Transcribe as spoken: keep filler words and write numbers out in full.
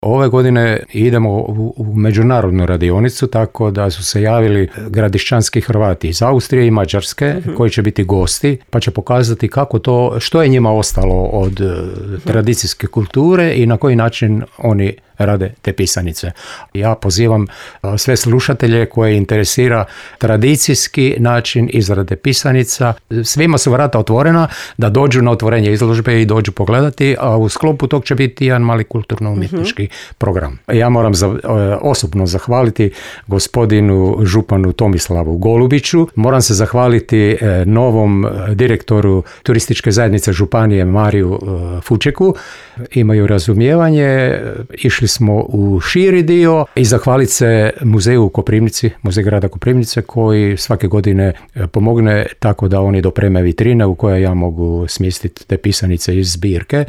Ove godine idemo u, u međunarodnu radionicu, tako da su se javili gradišćanski Hrvati iz Austrije i Mađarske, uh-huh. koji će biti gosti, pa će pokazati kako to, što je njima ostalo od uh-huh. tradicijske kulture i na koji način oni rade te pisanice. Ja pozivam sve slušatelje koje interesira tradicijski način izrade pisanica. Svima su vrata otvorena da dođu na otvorenje izložbe i dođu pogledati, a u sklopu tog će biti jedan mali kulturno-umjetnički uh-huh. program. Ja moram za, osobno zahvaliti gospodinu županu Tomislavu Golubiću. Moram se zahvaliti novom direktoru turističke zajednice županije Mariju Fučeku. Imaju razumijevanje, išli smo u širi dio i zahvaliti se muzeju u Koprivnici, muzej grada Koprivnice, koji svake godine pomogne tako da oni dopreme vitrine u koje ja mogu smjestiti te pisanice iz zbirke.